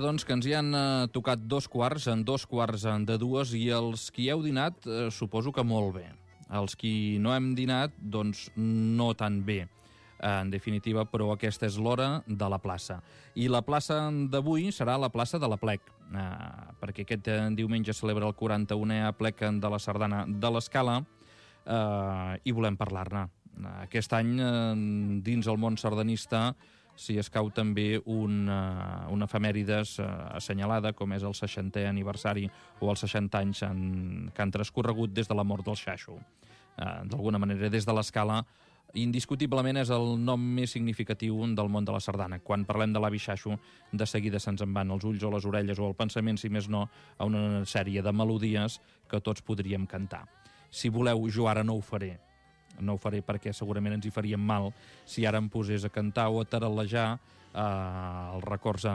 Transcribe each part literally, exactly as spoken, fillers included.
Vinga, doncs, que ens hi han eh, tocat dos quarts, en dos quarts de dues, i els qui heu dinat, eh, suposo que molt bé. Els qui no hem dinat, doncs, no tan bé. En definitiva, però aquesta és l'hora de la plaça. I la plaça d'avui serà la plaça de l'Aplec, eh, perquè aquest diumenge celebra el quaranta-unè Aplec de la Sardana de l'Escala, eh, i volem parlar-ne. Aquest any, eh, dins el món sardanista, s'hi escau també un, uh, una efemèrides uh, assenyalada, com és el seixantè aniversari o els seixanta anys en, que han transcorregut des de la mort del Xaixo. Uh, D'alguna manera, des de l'Escala, indiscutiblement és el nom més significatiu del món de la sardana. Quan parlem de l'avi Xaixo, de seguida se'ns en van els ulls o les orelles o el pensament, si més no, a una sèrie de melodies que tots podríem cantar. Si voleu, jo ara no ho faré. No ho faré perquè segurament ens hi faríem mal si ara em posés a cantar o a taralejar eh, els records a,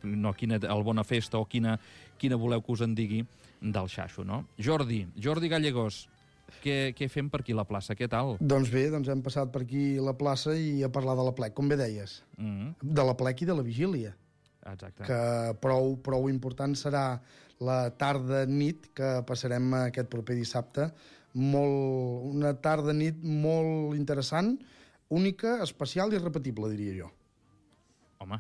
no, quina, el Bona Festa o quina, quina voleu que us en digui del Xaixo, no? Jordi, Jordi Gallegos, què, què fem per aquí a la plaça? Què tal? Doncs bé, doncs hem passat per aquí la plaça i a parlar de l'Aplec, com bé deies. Mm-hmm. De l'Aplec i de la vigília. Exacte. Que prou, prou important serà la tarda-nit que passarem aquest proper dissabte. Molt, una tarda-nit molt interessant, única, especial i repetible, diria jo. Home,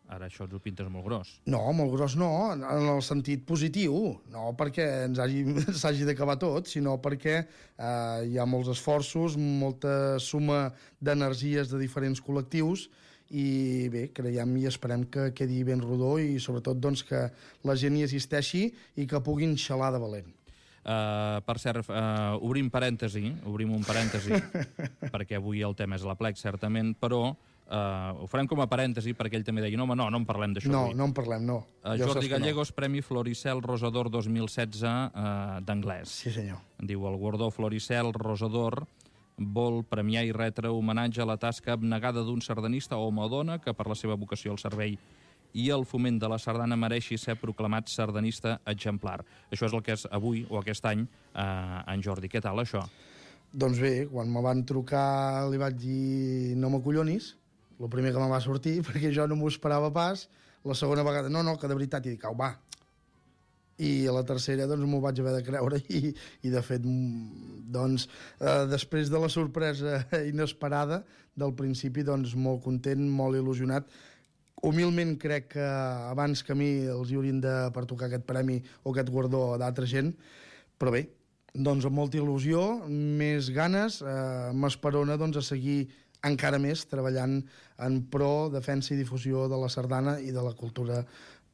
ara això ens ho pintes molt gros. No, molt gros no, en el sentit positiu. No perquè ens hagi, s'hagi d'acabar tot, sinó perquè eh, hi ha molts esforços, molta suma d'energies de diferents col·lectius i bé, creiem i esperem que quedi ben rodó i sobretot doncs, que la gent hi assisteixi i que puguin xalar de valent. Uh, per cert, uh, obrim parèntesi, obrim un parèntesi, perquè avui el tema és l'Aplec, certament, però uh, ho farem com a parèntesi perquè ell també deia, no, home, no, no en parlem d'això no, avui. No, no en parlem, no. Uh, Jordi Gallegos, no. Premi Floricel Rosador dos mil setze uh, d'anglès. Sí, senyor. Diu, el guardó Floricel Rosador vol premiar i retre homenatge a la tasca abnegada d'un sardanista o home o dona que per la seva vocació al servei i el foment de la sardana mereixi ser proclamat sardanista exemplar. Això és el que és avui o aquest any eh, en Jordi. Què tal, això? Doncs bé, quan me van trucar li vaig dir no m'acollonis, el primer que me va sortir, perquè jo no m'ho esperava pas. La segona vegada, no, no, que de veritat, i dic, au, va. I a la tercera doncs m'ho vaig haver de creure i, i de fet doncs eh, després de la sorpresa inesperada del principi doncs molt content, molt il·lusionat. Humilment crec que abans que a mi els hi haurien de pertocar aquest premi o aquest guardó d'altra gent, però bé, doncs amb molta il·lusió, més ganes, eh, m'esperona doncs a seguir encara més treballant en pro, defensa i difusió de la sardana i de la cultura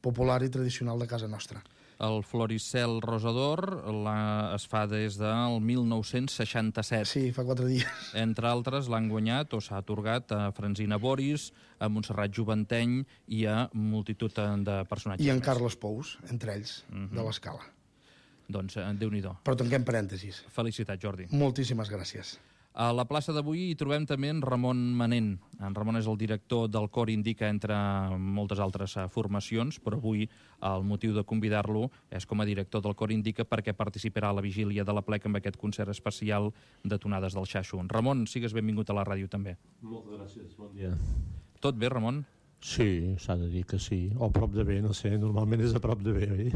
popular i tradicional de casa nostra. El Floricel Rosador la, es fa des del mil nou-cents seixanta-set. Sí, fa quatre dies. Entre altres, l'han guanyat o s'ha atorgat a Francina Boris, a Montserrat Joventeny i a multitud de personatges. I en Carles Pous, entre ells, uh-huh. de l'Escala. Doncs, Déu-n'hi-do. Però tanquem parèntesis. Felicitats, Jordi. Moltíssimes gràcies. A la plaça d'avui hi trobem també en Ramon Manent. En Ramon és el director del Cor Indica, entre moltes altres formacions, però avui el motiu de convidar-lo és com a director del Cor Indica perquè participarà a la vigília de l'Aplec amb aquest concert especial de tonades del Xaixo. Ramon, sigues benvingut a la ràdio també. Moltes gràcies, bon dia. Tot bé, Ramon? Sí, s'ha de dir que sí. O a prop de bé, no sé, normalment és a prop de bé, oi?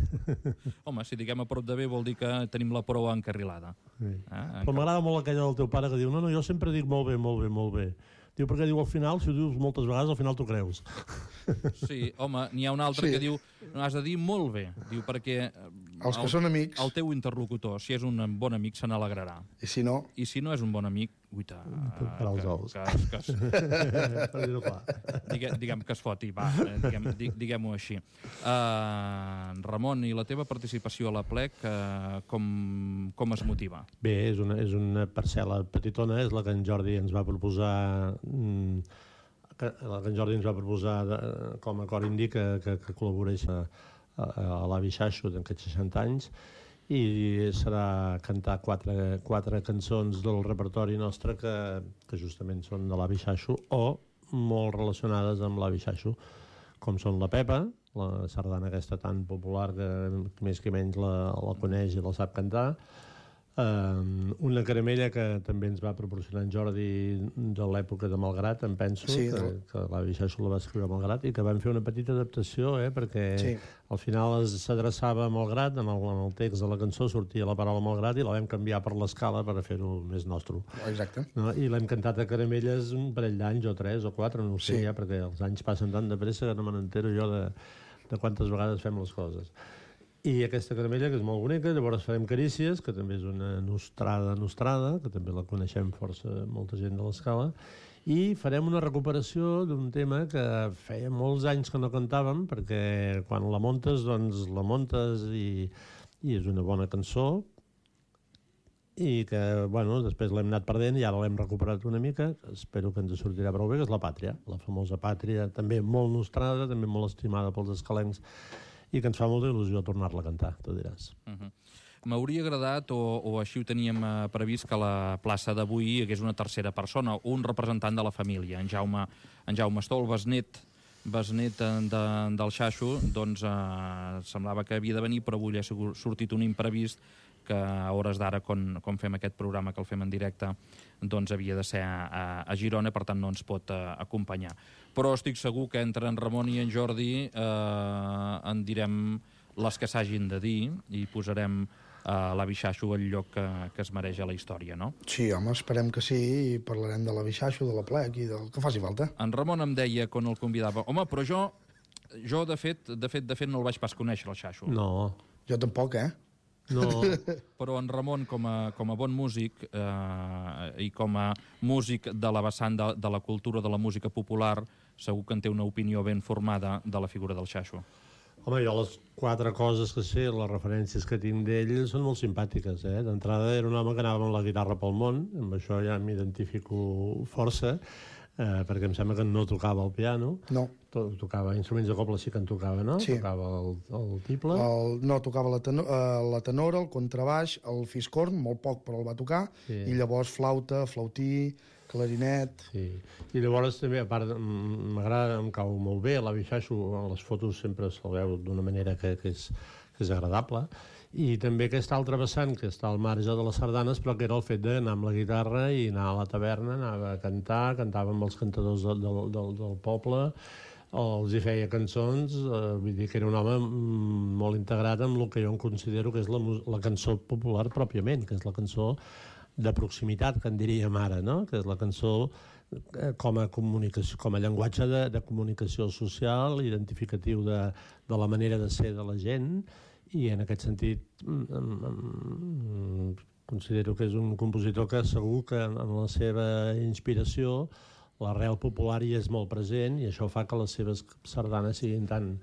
Home, si diguem a prop de bé vol dir que tenim la proa encarrilada. Sí. Ah, Però m'agrada molt aquella del teu pare que diu no, no, jo sempre dic molt bé, molt bé, molt bé. Diu, perquè diu al final, si ho dius moltes vegades, al final t'ho creus. Sí, home, n'hi ha un altre sí. que diu no has de dir molt bé, diu perquè els que el, són amics, el teu interlocutor, si és un bon amic, se n'alegrarà. I si no? I si no és un bon amic, uita, per als ous. Que, que, que, que, diguem, diguem que es foti, va, diguem, diguem-ho així. Uh, Ramon, i la teva participació a l'Aplec, uh, com, com es motiva? Bé, és una, és una parcel·la petitona, és la que en Jordi ens va proposar mm, que, la que en Jordi ens va proposar de, com a Cor Indica que, que col·laboreix a, a, a l'avi Xaixo d'aquests seixanta anys, i serà cantar quatre, quatre cançons del repertori nostre que, que justament són de l'avi Xaixo o molt relacionades amb l'avi Xaixo, com són la Pepa, la sardana aquesta tan popular que més que menys la, la coneix i la sap cantar, Uh, una caramella que també ens va proporcionar en Jordi de l'època de Malgrat, em penso, sí, que, del... que l'avi Xaixo la va escriure a Malgrat, i que vam fer una petita adaptació, eh, perquè sí. Al final s'adreçava a Malgrat, en el, en el text de la cançó sortia la paraula Malgrat i la vam canviar per l'escala per fer-ho més nostre. Exacte. No? I l'hem cantat a Caramelles un parell d'anys, o tres o quatre, no ho sé, sí. ja, perquè els anys passen tan de pressa que no me n'entero jo de, de quantes vegades fem les coses. I aquesta caramella, que és molt bonica, llavors farem Carícies, que també és una nostrada nostrada, que també la coneixem força molta gent de l'escala, i farem una recuperació d'un tema que feia molts anys que no cantàvem, perquè quan la muntes, doncs la muntes i, i és una bona cançó, i que, bueno, després l'hem anat perdent i ara l'hem recuperat una mica, espero que ens sortirà prou bé, que és La Pàtria, la famosa Pàtria, també molt nostrada, també molt estimada pels escalencs, i que ens fa molta il·lusió tornar-la a cantar, tu diràs. Uh -huh. M'hauria agradat, o, o així ho teníem eh, previst, que a la plaça d'avui hi hagués una tercera persona, un representant de la família, en Jaume, en Jaume Estol, besnet, besnet de, del Xaixo, doncs eh, semblava que havia de venir, però avui ha sortit un imprevist que a hores d'ara, quan, quan fem aquest programa, que el fem en directe, doncs havia de ser a, a Girona, per tant no ens pot uh, acompanyar. Però estic segur que entre en Ramon i en Jordi eh, en direm les que s'hagin de dir i posarem uh, l'avi Xaixo al lloc que, que es mereix a la història, no? Sí, home, esperem que sí, i parlarem de l'avi Xaixo, de la plec i del que faci falta. En Ramon em deia, quan el convidava, home, però jo, jo de fet, de fet, de fet, no el vaig pas conèixer, el Xaixo. No. Jo tampoc, eh? No. Però en Ramon, com a, com a bon músic eh, i com a músic de la vessant de, de la cultura de la música popular, segur que en té una opinió ben formada de la figura del Xaixo. Home, jo les quatre coses que sé, les referències que tinc d'ell, són molt simpàtiques, eh? D'entrada era un home que anava amb la guitarra pel món, amb això ja m'identifico força, eh, perquè em sembla que no tocava el piano. No. Tocava instruments de coble, sí que en tocava, no? Sí. Tocava el, el tiple. El, no, tocava la, tenor, uh, la tenora, el contrabaix, el fiscorn, molt poc, però el va tocar, sí. I llavors flauta, flautí, clarinet... Sí, i llavors també, a part, m'agrada, em cau molt bé, l'avi Xaixo, en les fotos sempre se'l veu d'una manera que, que, és, que és agradable, i també aquesta altra vessant, que està al marge de les sardanes, però que era el fet d'anar amb la guitarra i anar a la taverna, anava a cantar, cantava amb els cantadors del, del, del, del poble, els hi feia cançons, eh, vull dir que era un home molt integrat amb el que jo em considero que és la, la cançó popular pròpiament, que és la cançó de proximitat, que en diríem ara, no? Que és la cançó com a comunicació, com a llenguatge de, de comunicació social, identificatiu de, de la manera de ser de la gent, i en aquest sentit considero que és un compositor que segur que en la seva inspiració l'arrel popular hi és molt present, i això fa que les seves sardanes siguin tan,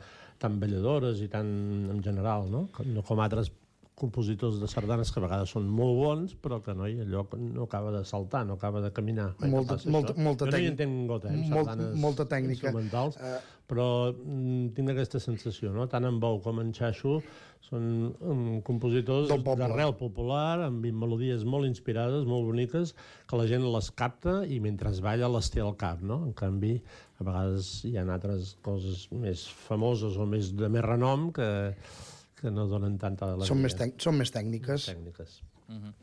tan balladores i tan en general, no? No com altres compositors de sardanes que a vegades són molt bons, però que no, allò no acaba de saltar, no acaba de caminar. Molta, molta, molta jo no hi entenc gota, eh, sardanes molta tècnica. Instrumentals, uh, però mm, tinc aquesta sensació, no? Tant en Bou com en Xaixo són um, compositors d'arrel popular, amb melodies molt inspirades, molt boniques, que la gent les capta i mentre es balla les té al cap, no? En canvi, a vegades hi ha altres coses més famoses o més de més renom que que no donen tanta alegria. Són més, són més tècniques. tècniques. Uh -huh.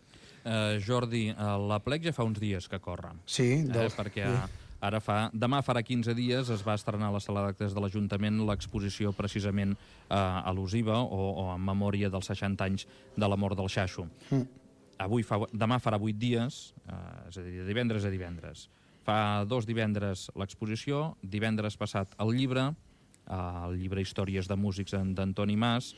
uh, Jordi, uh, la plec ja fa uns dies que corre. Sí. Del... Eh, perquè uh, ara fa, demà farà quinze dies es va estrenar a la sala d'actes de l'Ajuntament l'exposició precisament uh, al·lusiva o, o en memòria dels seixanta anys de la mort del Xaixo. Mm. Avui fa, demà farà vuit dies, uh, és a dir, de divendres a divendres. Fa dos divendres l'exposició, divendres passat el llibre, uh, el llibre Històries de músics d'Antoni Mas,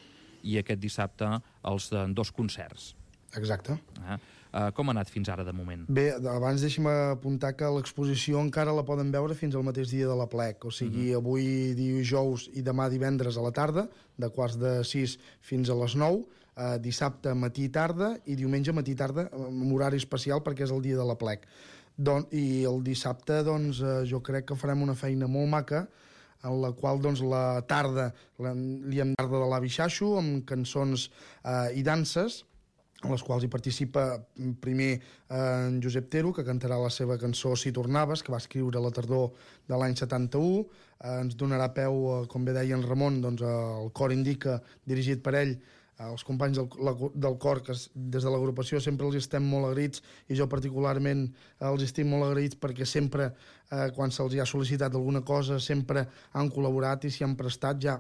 i aquest dissabte els de dos concerts. Exacte. Eh? Uh, com ha anat fins ara, de moment? Bé, abans deixa'm apuntar que l'exposició encara la poden veure fins al mateix dia de la plec, o sigui, uh-huh. avui dijous i demà divendres a la tarda, de quarts de sis fins a les nou, uh, dissabte matí i tarda, i diumenge matí i tarda, amb horari especial perquè és el dia de la plec. Don, I el dissabte, doncs, uh, jo crec que farem una feina molt maca, en la qual doncs, la tarda la, li hem tarda de l'avi Xaixo amb cançons eh, i danses, en les quals hi participa primer eh, en Josep Tero, que cantarà la seva cançó Si tornaves, que va escriure a la tardor de l'any setanta-u. Eh, ens donarà peu, eh, com bé deia en Ramon, doncs, el cor indica, dirigit per ell, els companys del, la, del cor, que des de l'agrupació sempre els estem molt agraïts, i jo particularment els estic molt agraïts perquè sempre, eh, quan se'ls ha sol·licitat alguna cosa, sempre han col·laborat i s'hi han prestat. Ja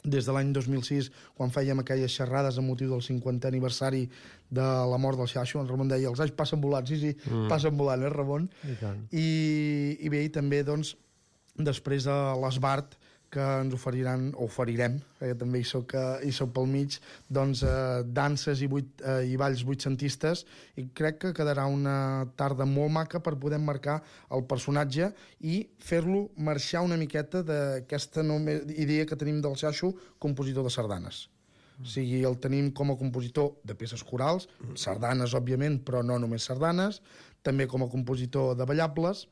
des de l'any dos mil sis, quan fèiem aquelles xerrades amb motiu del cinquantè aniversari de la mort del Xaxo, en Ramon deia, els anys passen volant, sí, sí, mm. passen volant, eh, Ramon? I, I, i bé, i també, doncs, després a l'Esbart, que ens oferiran, o oferirem, perquè també hi soc, hi soc pel mig, doncs eh, danses i, vuit, eh, i balls vuitcentistes, i crec que quedarà una tarda molt maca per poder marcar el personatge i fer-lo marxar una miqueta d'aquesta idea que tenim del Xaxo, compositor de sardanes. Mm. O sigui, el tenim com a compositor de peces corals, sardanes, òbviament, però no només sardanes, també com a compositor de ballables,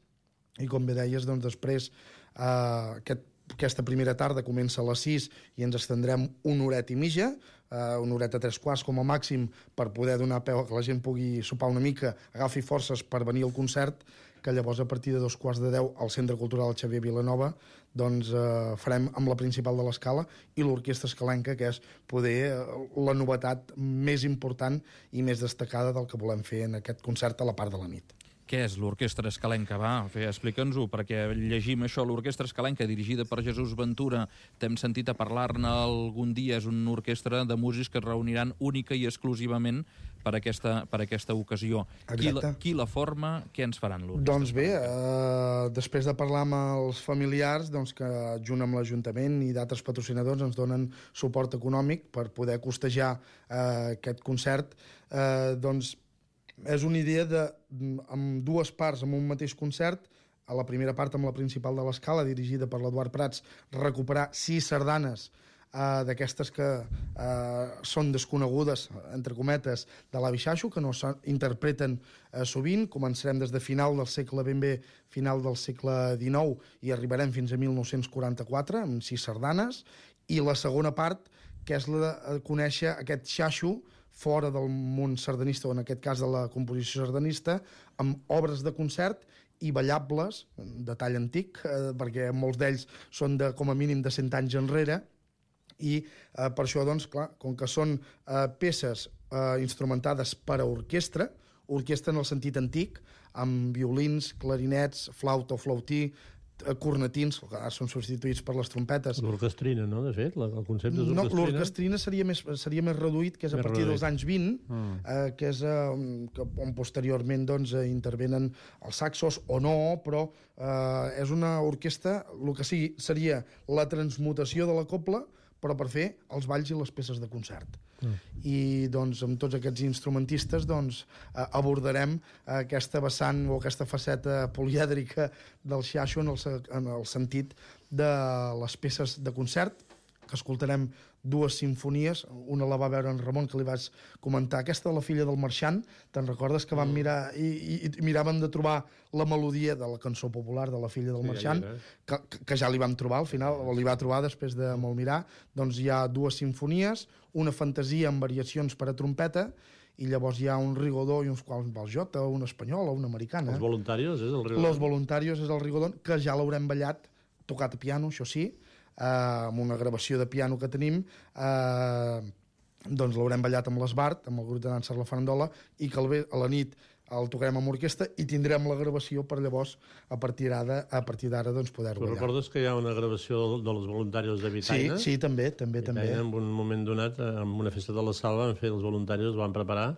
i com bé deies, doncs després eh, aquest Aquesta primera tarda comença a les sis i ens estendrem una horeta i mitja, eh, una horeta tres quarts com a màxim, per poder donar peu a que la gent pugui sopar una mica, agafi forces per venir al concert, que llavors a partir de dos quarts de deu al Centre Cultural Xavier Vilanova doncs eh, farem amb la principal de l'Escala i l'Orquestra Escalenca, que és poder eh, la novetat més important i més destacada del que volem fer en aquest concert a la part de la nit. Què és l'Orquestra Escalenca? Va, explica'ns-ho, perquè llegim això. L'Orquestra Escalenca, dirigida per Jesús Ventura, t'hem sentit a parlar-ne algun dia. És una orquestra de músics que es reuniran única i exclusivament per aquesta, per aquesta ocasió. Qui la, qui la forma? Què ens faran l'orquestra? Doncs bé, eh, després de parlar amb els familiars, doncs que junt amb l'Ajuntament i d'altres patrocinadors ens donen suport econòmic per poder costejar eh, aquest concert, eh, doncs és una idea de, amb dues parts, amb un mateix concert, a la primera part amb la principal de l'Escala, dirigida per l'Eduard Prats, recuperar sis sardanes eh, d'aquestes que eh, són desconegudes, entre cometes, de l'avi Xaxo, que no s'interpreten eh, sovint. Començarem des de final del segle ben bé, final del segle dinou, i arribarem fins a mil nou-cents quaranta-quatre, amb sis sardanes, i la segona part, que és la de conèixer aquest Xaxo fora del món sardanista, o en aquest cas de la composició sardanista, amb obres de concert i ballables de tall antic, eh, perquè molts d'ells són de, com a mínim de cent anys enrere, i eh, per això, doncs, clar, com que són eh, peces eh, instrumentades per a orquestra, orquestra en el sentit antic, amb violins, clarinets, flauta o flautí, cornetins, que ara són substituïts per les trompetes. L'orquestrina, no?, de fet? El concepte és orquestrina. No, l'orquestrina seria més, seria més reduït, que és a partir dels anys vint, mm. eh, que és eh, que, on posteriorment doncs, eh, intervenen els saxos, o no, però eh, és una orquestra, el que sigui, seria la transmutació de la cobla, però per fer els balls i les peces de concert. Mm. I doncs amb tots aquests instrumentistes doncs, eh, abordarem aquesta vessant o aquesta faceta polièdrica del Xaxo en el, en el sentit de les peces de concert, que escoltarem dues sinfonies. Una la va veure en Ramon, que li vaig comentar. Aquesta de la filla del marxant, te'n recordes que vam mirar i, i, i miràvem de trobar la melodia de la cançó popular de la filla del sí, marxant, que, que ja li vam trobar al final, o li va trobar després de molt mirar. Doncs hi ha dues sinfonies, una fantasia amb variacions per a trompeta, i llavors hi ha un rigodó i uns quals vals jota, una espanyola, una americana. Els voluntarios és el rigodó? Los voluntarios és el rigodó, que ja l'haurem ballat, tocat a piano, això sí, Uh, amb una gravació de piano que tenim, uh, doncs l'haurem ballat amb l'Esbart, amb el grup de dansa La Farandola, i que a la nit el tocarem amb orquestra i tindrem la gravació per llavors, a partir d'ara, a partir d'ara doncs, poder-ho ballar. Recordes que hi ha una gravació dels voluntaris de Vitaina? Sí, sí, també, també, també. En un moment donat, en una festa de la sal, van fer els voluntaris, els van preparar,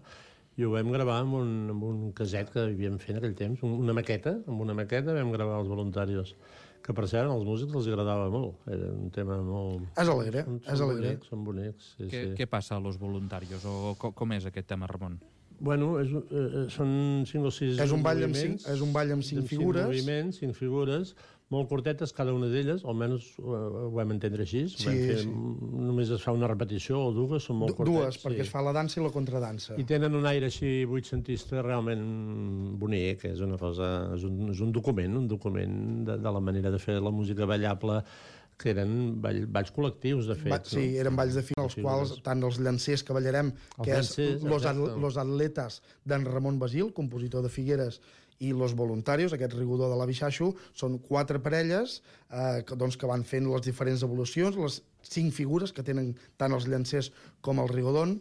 i ho vam gravar amb un, amb un caset que havíem fet en aquell temps, una maqueta, amb una maqueta vam gravar els voluntaris, que per cert als músics els agradava molt, era un tema molt... És alegre, són, és són alegre. Bonics, són bonics, sí, què, sí. Què passa a los voluntarios, o com, com és aquest tema, Ramon? Bueno, és, eh, són cinc o sis és un ball amb moviments. cinc, és un ball amb cinc amb figures. Cinc moviments, cinc figures, molt curtetes, cada una d'elles, almenys ho, ho vam entendre així. Sí, vam fer, sí. Només es fa una repetició o dues, són molt curtetes. Dues, perquè sí. es fa la dansa i la contradansa. I tenen un aire així vuitcentista realment bonic, és una cosa, és un, és un document, un document de, de la manera de fer la música ballable que eren ball, balls col·lectius, de fet. Va, sí, no? eren balls de fi, els quals tant els llancers que ballarem, Els que llancers, és Los, exacte. Los Atletas d'en Ramon Basil, compositor de Figueres, i Los Voluntarios, aquest rigodor de l'avi Xaxo, són quatre parelles eh, que, doncs, que van fent les diferents evolucions, les cinc figures que tenen tant els llancers com el rigodon,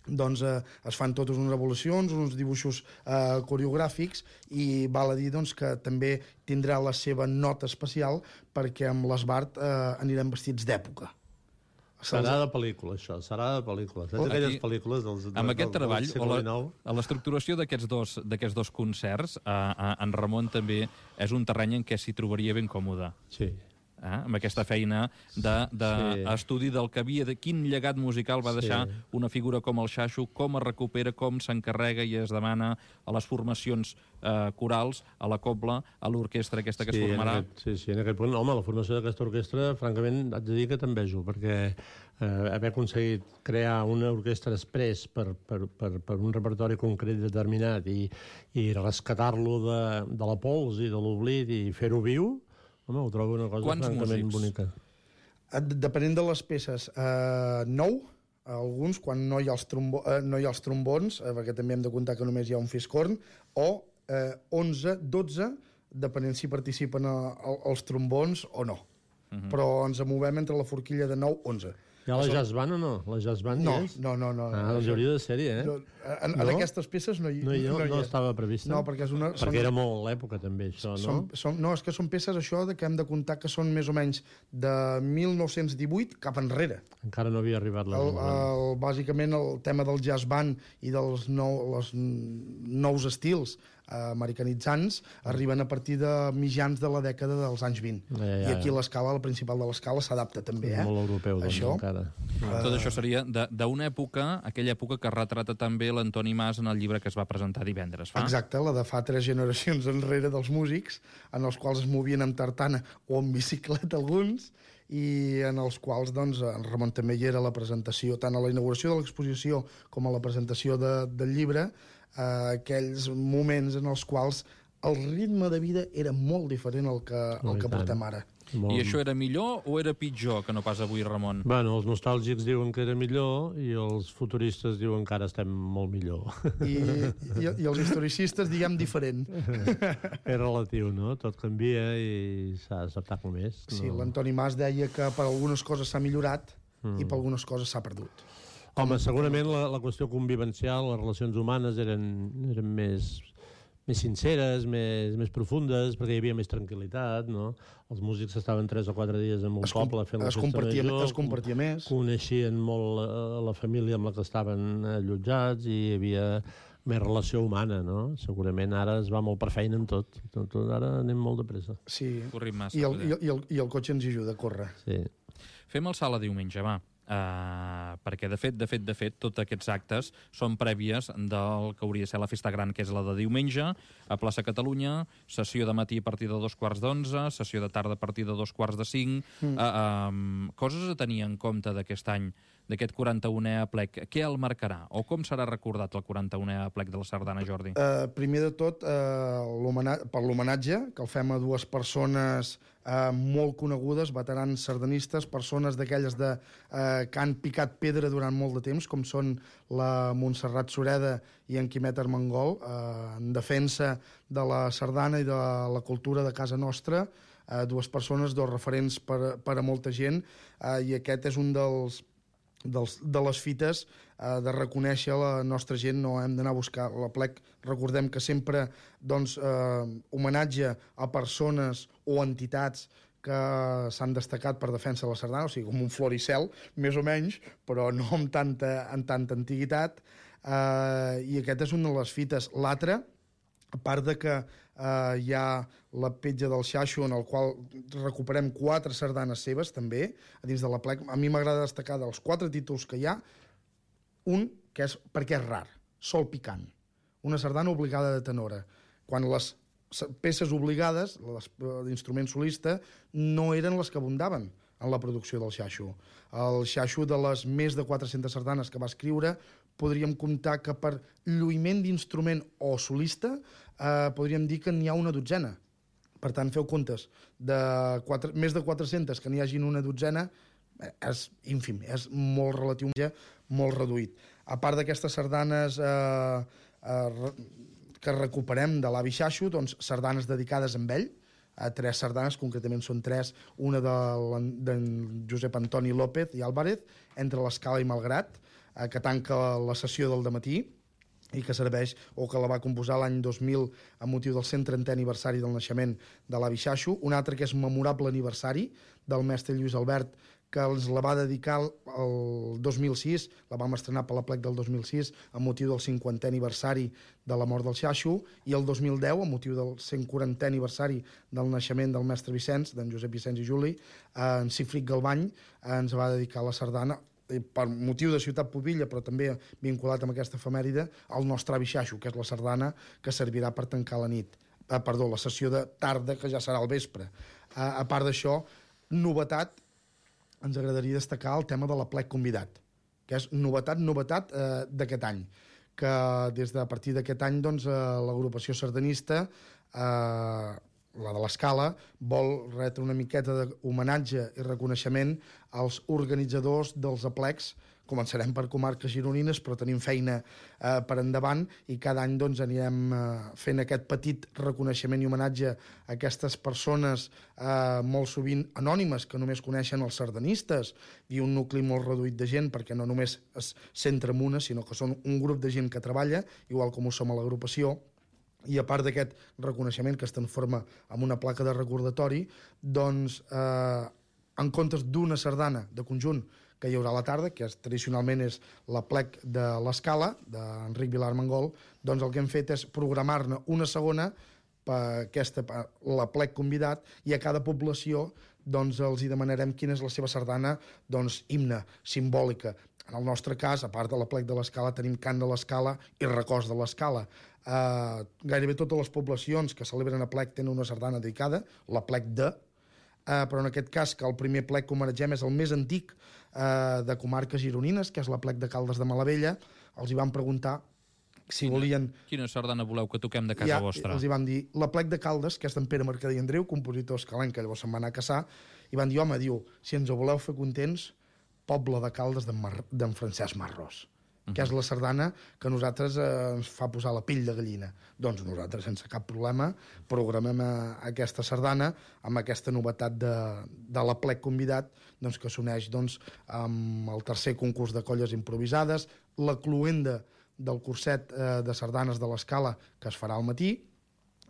doncs eh, es fan totes unes evolucions, uns dibuixos eh, coreogràfics, i val a dir doncs, que també tindrà la seva nota especial perquè amb l'Esbart eh, anirem vestits d'època. Serà de pel·lícula, això, serà de pel·lícula. Saps aquelles pel·lícules dels, amb del, aquest del, treball, del segle o la, dinou? a l'estructuració d'aquests dos, d'aquests dos concerts, eh, eh, en Ramon també és un terreny en què s'hi trobaria ben còmode. Sí. Eh? Amb aquesta feina d'estudi de, de Sí. del que havia, de quin llegat musical va deixar Sí. una figura com el Xaxo, com es recupera, com s'encarrega i es demana a les formacions eh, corals, a la cobla, a l'orquestra aquesta que Sí, es formarà. en aquest, sí, sí, en aquest punt. Home, la formació d'aquesta orquestra, francament, haig de dir que t'envejo, perquè eh, haver aconseguit crear una orquestra express per, per, per, per un repertori concret determinat i, i rescatar-lo de, de la pols i de l'oblit i fer-ho viu, home, ho trobo una cosa Quants francament músics? bonica. Depenent de les peces, eh, nou, alguns, quan no hi ha els, trombo, eh, no hi ha els trombons, eh, perquè també hem de comptar que només hi ha un fiscorn, o eh, onze, dotze, depenent si participen a, a, els trombons o no. Uh -huh. Però ens movem entre la forquilla de nou, onze. Hi ha la jazz band o no? La jazz band No, hi és? no, no. no Ah, doncs hauria de ser-hi, eh? No, en, en No? aquestes peces no hi, No, no, hi no és. estava prevista? No, perquè és una... Perquè són- era molt l'època, també, això, no? Són, són, no, és que són peces, això, de que hem de comptar que són més o menys de mil nou-cents divuit cap enrere. Encara no havia arribat la... El, el, bàsicament, el tema del jazz band i dels nou, els nous estils eh, americanitzants arriben a partir de mitjans de la dècada dels anys vint. Ja, ja, I aquí ja. l'escala, la principal de l'escala, s'adapta també, eh? Molt europeu, doncs, Això. encara. Tot això seria de- d'una època, aquella època que retrata també l'Antoni Mas en el llibre que es va presentar divendres, fa? Exacte, la de fa tres generacions enrere dels músics, en els quals es movien amb tartana o amb bicicleta alguns, i en els quals doncs, en Ramon també hi era a la presentació, tant a la inauguració de l'exposició com a la presentació de, del llibre, eh, aquells moments en els quals el ritme de vida era molt diferent al que, No, al i que tant. portem ara. Molt... I això era millor o era pitjor que no pas avui, Ramon? Bueno, els nostàlgics diuen que era millor i els futuristes diuen que ara estem molt millor. I, i, i els historicistes, diguem, diferent. És relatiu, no? Tot canvia i s'ha d'acceptar com és. Sí, no? l'Antoni Mas deia que per algunes coses s'ha millorat mm. i per algunes coses s'ha perdut. Home, segurament la, la qüestió convivencial, les relacions humanes eren, eren més, més sinceres, més, més profundes, perquè hi havia més tranquil·litat, no? Els músics estaven tres o quatre dies en un Es com- poble fent la es festa compartia- major, es compartia més. Coneixien molt la, la família amb la que estaven allotjats i hi havia més relació humana, no? Segurament ara es va molt per feina en tot. tot, tot ara anem molt de pressa. Sí. Corrim massa, I el, poder. i, el, i, el, I el cotxe ens hi ajuda a córrer. Sí. Fem el salt a diumenge, va. Uh, perquè, de fet, de fet, de fet, tots aquests actes són prèvies del que hauria de ser la festa gran, que és la de diumenge, a plaça Catalunya, sessió de matí a partir de dos quarts d'onze, sessió de tarda a partir de dos quarts de cinc... Mm. Uh, um, coses a tenir en compte d'aquest any, d'aquest quaranta-unè aplec. Què el marcarà? O com serà recordat el quaranta-unè aplec de la Sardana, Jordi? Uh, primer de tot, uh, per l'homenatge, que el fem a dues persones uh, molt conegudes, veterans sardanistes, persones d'aquelles de, uh, que han picat pedra durant molt de temps, com són la Montserrat Sureda i en Quimet Armengol, uh, en defensa de la sardana i de la cultura de casa nostra, uh, dues persones, dos referents per, per a molta gent, uh, i aquest és un dels Dels, de les fites eh, de reconèixer la nostra gent, no hem d'anar a buscar l'aplec. Recordem que sempre doncs, eh, homenatge a persones o entitats que s'han destacat per defensa de la sardana, o sigui, com un floricel, més o menys, però no amb tanta, amb tanta antiguitat, eh, i aquest és una de les fites. L'altra, a part de que eh, hi ha la petja del Xaxo, en el qual recuperem quatre sardanes seves, també, a dins de l'aplec. A mi m'agrada destacar dels quatre títols que hi ha, un que és, perquè és rar, Sol picant, una sardana obligada de tenora. Quan les peces obligades, les d'instrument solista, no eren les que abundaven en la producció del Xaxo. El Xaxo, de les més de quatre-centes sardanes que va escriure, podríem comptar que per lluïment d'instrument o solista eh, podríem dir que n'hi ha una dotzena. Per tant, feu comptes, de quatre, més de quatre-centes que n'hi hagin una dotzena, és ínfim, és molt relatiu, molt reduït. A part d'aquestes sardanes eh, eh, que recuperem de l'avi Xaxo, doncs sardanes dedicades a ell, a tres sardanes, concretament són tres, una de Josep Antoni López i Álvarez, entre l'Escala i Malgrat, eh, que tanca la sessió del dematí, i que serveix, o que la va composar l'any dos mil amb motiu del cent trentè aniversari del naixement de l'avi Xaxo. Un altre que és memorable aniversari del mestre Lluís Albert, que els la va dedicar el dos mil sis, la vam estrenar per la plec del dos mil sis, amb motiu del cinquantè aniversari de la mort del Xaxo, i el dos mil deu, amb motiu del cent quarantè aniversari del naixement del mestre Vicenç, d'en Josep Vicenç i Juli, en Cifric Galbany ens va dedicar la sardana, per motiu de Ciutat Pobilla, però també vinculat amb aquesta efemèride, al nostre avi Xaxo, que és la sardana que servirà per tancar la nit. Eh, perdó, la sessió de tarda, que ja serà al vespre. Eh, a part d'això, novetat, ens agradaria destacar el tema de l'aplec convidat, que és novetat, novetat eh, d'aquest any, que des de a partir d'aquest any doncs, eh, l'agrupació sardanista, eh, la de l'Escala, vol retre una miqueta d'homenatge i reconeixement als organitzadors dels aplecs. Començarem per comarques gironines, però tenim feina eh, per endavant, i cada any doncs, anirem eh, fent aquest petit reconeixement i homenatge a aquestes persones eh, molt sovint anònimes, que només coneixen els sardanistes, i un nucli molt reduït de gent, perquè no només es centra en una, sinó que són un grup de gent que treballa, igual com ho som a l'agrupació. I a part d'aquest reconeixement que es transforma en una placa de recordatori, doncs, eh, en comptes d'una sardana de conjunt que hi haurà a la tarda, que és, tradicionalment és la plec de l'Escala, d'Enric Vilar Mangol, doncs el que hem fet és programar-ne una segona per aquesta, per la plec convidat, i a cada població doncs, els hi demanarem quina és la seva sardana doncs, himne, simbòlica. En el nostre cas, a part de la plec de l'Escala, tenim cant de l'Escala i records de l'Escala. Uh, gairebé totes les poblacions que celebren a plec tenen una sardana dedicada, la plec de, uh, però en aquest cas, que el primer plec que homenatgem és el més antic uh, de comarques gironines, que és la plec de Caldes de Malavella. Els hi van preguntar si quina, volien... Quina sardana voleu que toquem de casa ja, vostra? Els hi van dir, la plec de Caldes, que és d'en Pere Mercader i Andreu, compositor escalenc, que llavors se'n va anar a caçar, i van dir, home, diu, si ens ho voleu fer contents, Poble de Caldes d'en Mar... Francesc Marrós, uh -huh. que és la sardana que a nosaltres eh, ens fa posar la pell de gallina. Doncs nosaltres, sense cap problema, programem a, a aquesta sardana amb aquesta novetat de, de la plec convidat, doncs, que s'uneix doncs, amb el tercer concurs de colles improvisades, la cloenda del curset eh, de sardanes de l'Escala, que es farà al matí,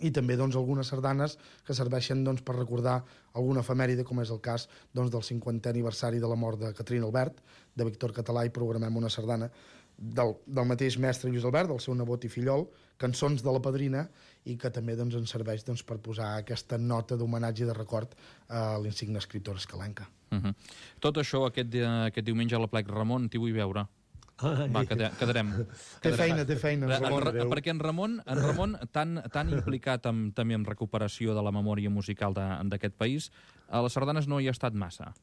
i també doncs, algunes sardanes que serveixen doncs, per recordar alguna efemèride, com és el cas doncs, del cinquantè aniversari de la mort de Caterina Albert, de Víctor Català, i programem una sardana del, del mateix mestre Lluís Albert, del seu nebot i fillol, cançons de la padrina, i que també doncs, ens serveix doncs, per posar aquesta nota d'homenatge i de record a l'insigne escriptora escalenca. Uh -huh. Tot això, aquest, aquest diumenge a la plec, Ramon, t'hi vull veure. Va, quedarem. quedarem. Té feina, té feina. En, en, perquè en Ramon, en Ramon tan, tan implicat amb, també en recuperació de la memòria musical d'aquest país, a les sardanes no hi ha estat massa.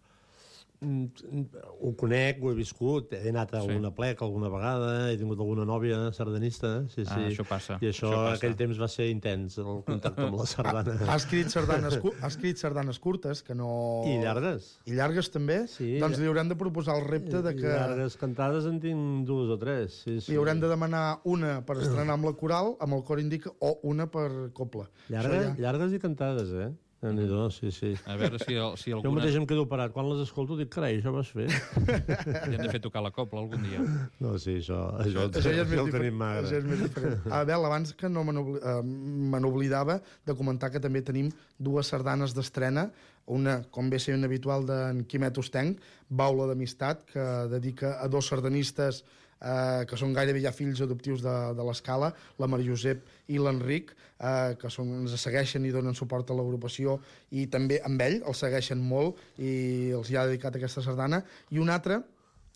Ho conec, ho he viscut, he anat a alguna sí. plec alguna vegada, he tingut alguna nòvia sardanista, sí, sí. Ah, això passa. I això, això passa. Aquell temps va ser intens, el contacte amb la sardana. Ha, ha, escrit sardanes, ha escrit sardanes curtes, que no... I llargues. I llargues també? Sí. Doncs li haurem de proposar el repte de que... Llargues cantades en tinc dues o tres, sí, sí. Li haurem de demanar una per estrenar amb la coral, amb el cor indica, o una per copla. Llargues, ja... llargues i cantades, eh? No, sí, sí. A veure si, si alguna... Jo mateix em quedo parat. Quan les escolto dic, carai, això vas fer. I hem de fer tocar la copla algun dia. No, sí, això, això, això, això ja és més el tenim magre. Això és més diferent. Abel, abans que no me n'oblidava de comentar que també tenim dues sardanes d'estrena, una, com bé sent habitual, d'en Quimet Ostenc, Baula d'Amistat, que dedica a dos sardanistes eh, que són gairebé ja fills adoptius de, de l'Escala, la Maria Josep i l'Enric, eh, que són, ens segueixen i donen suport a l'agrupació, i també amb ell els segueixen molt i els hi ha dedicat aquesta sardana. I una altra,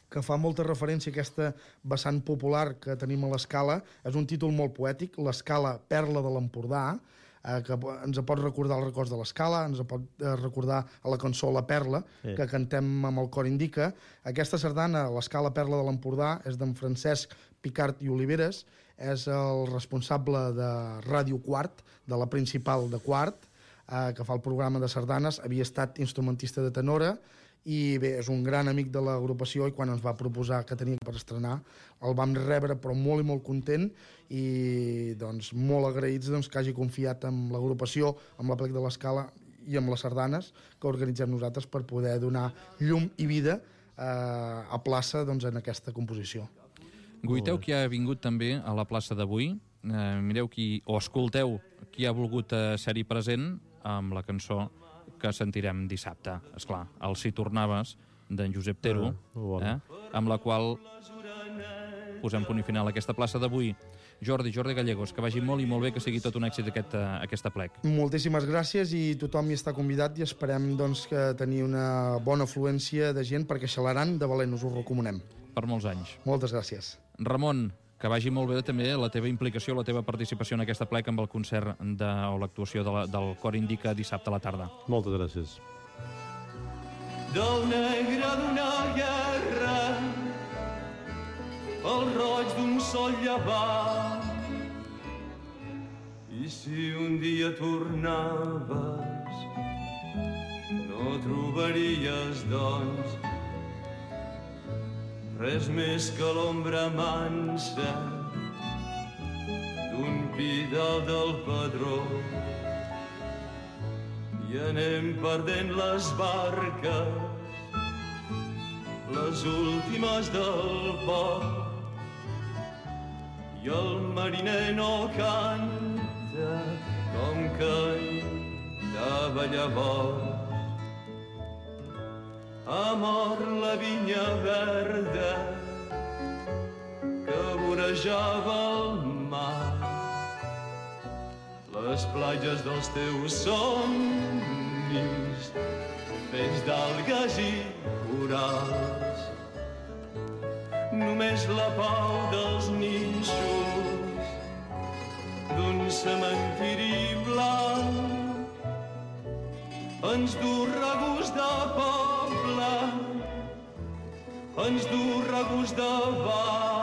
que fa molta referència a aquesta vessant popular que tenim a l'Escala, és un títol molt poètic, l'Escala Perla de l'Empordà, eh, que ens pot recordar els records de l'Escala, ens pot eh, recordar a la cançó La Perla, sí, que cantem amb el cor indica. Aquesta sardana, l'Escala Perla de l'Empordà, és d'en Francesc Picart i Oliveres, és el responsable de Ràdio Quart, de la principal de Quart, eh, que fa el programa de sardanes, havia estat instrumentista de tenora, i bé, és un gran amic de l'agrupació, i quan ens va proposar que tenia per estrenar el vam rebre però molt i molt content, i doncs molt agraïts doncs, que hagi confiat en l'agrupació, amb la Plec de l'Escala i amb les sardanes que organitzem nosaltres per poder donar llum i vida eh, a plaça doncs, en aquesta composició. Guiteu qui ha vingut també a la plaça d'avui, eh, mireu qui, o escolteu qui ha volgut eh, ser-hi present amb la cançó que sentirem dissabte. Esclar, el Si tornaves, d'en Josep Tero, ah, bon. eh, amb la qual posem punt i final a aquesta plaça d'avui. Jordi, Jordi Gallegos, que vagi molt i molt bé, que sigui tot un èxit aquest, uh, aquesta plec. Moltíssimes gràcies, i tothom hi està convidat, i esperem doncs, que tenir una bona afluència de gent, perquè Xalaran de valent us ho recomanem. Per molts anys. Moltes gràcies. Ramon, que vagi molt bé també la teva implicació, la teva participació en aquesta plec amb el concert de, o l'actuació de la, del Cor Indica dissabte a la tarda. Moltes gràcies. Del negre d'una guerra, el roig d'un sol llevant, i si un dia tornaves, no trobaries, doncs, res més que l'ombra mansa d'un pidal del Pedró. I anem perdent les barques, les últimes del port, i el mariner no canta com cantava llavors. Ha mort la vinya verda que vorejava el mar, les platges dels teus somnis fets d'algues i corals. Només la pau dels nínxols d'un cementiri blanc ens du regust de poble, ens du regust de bar.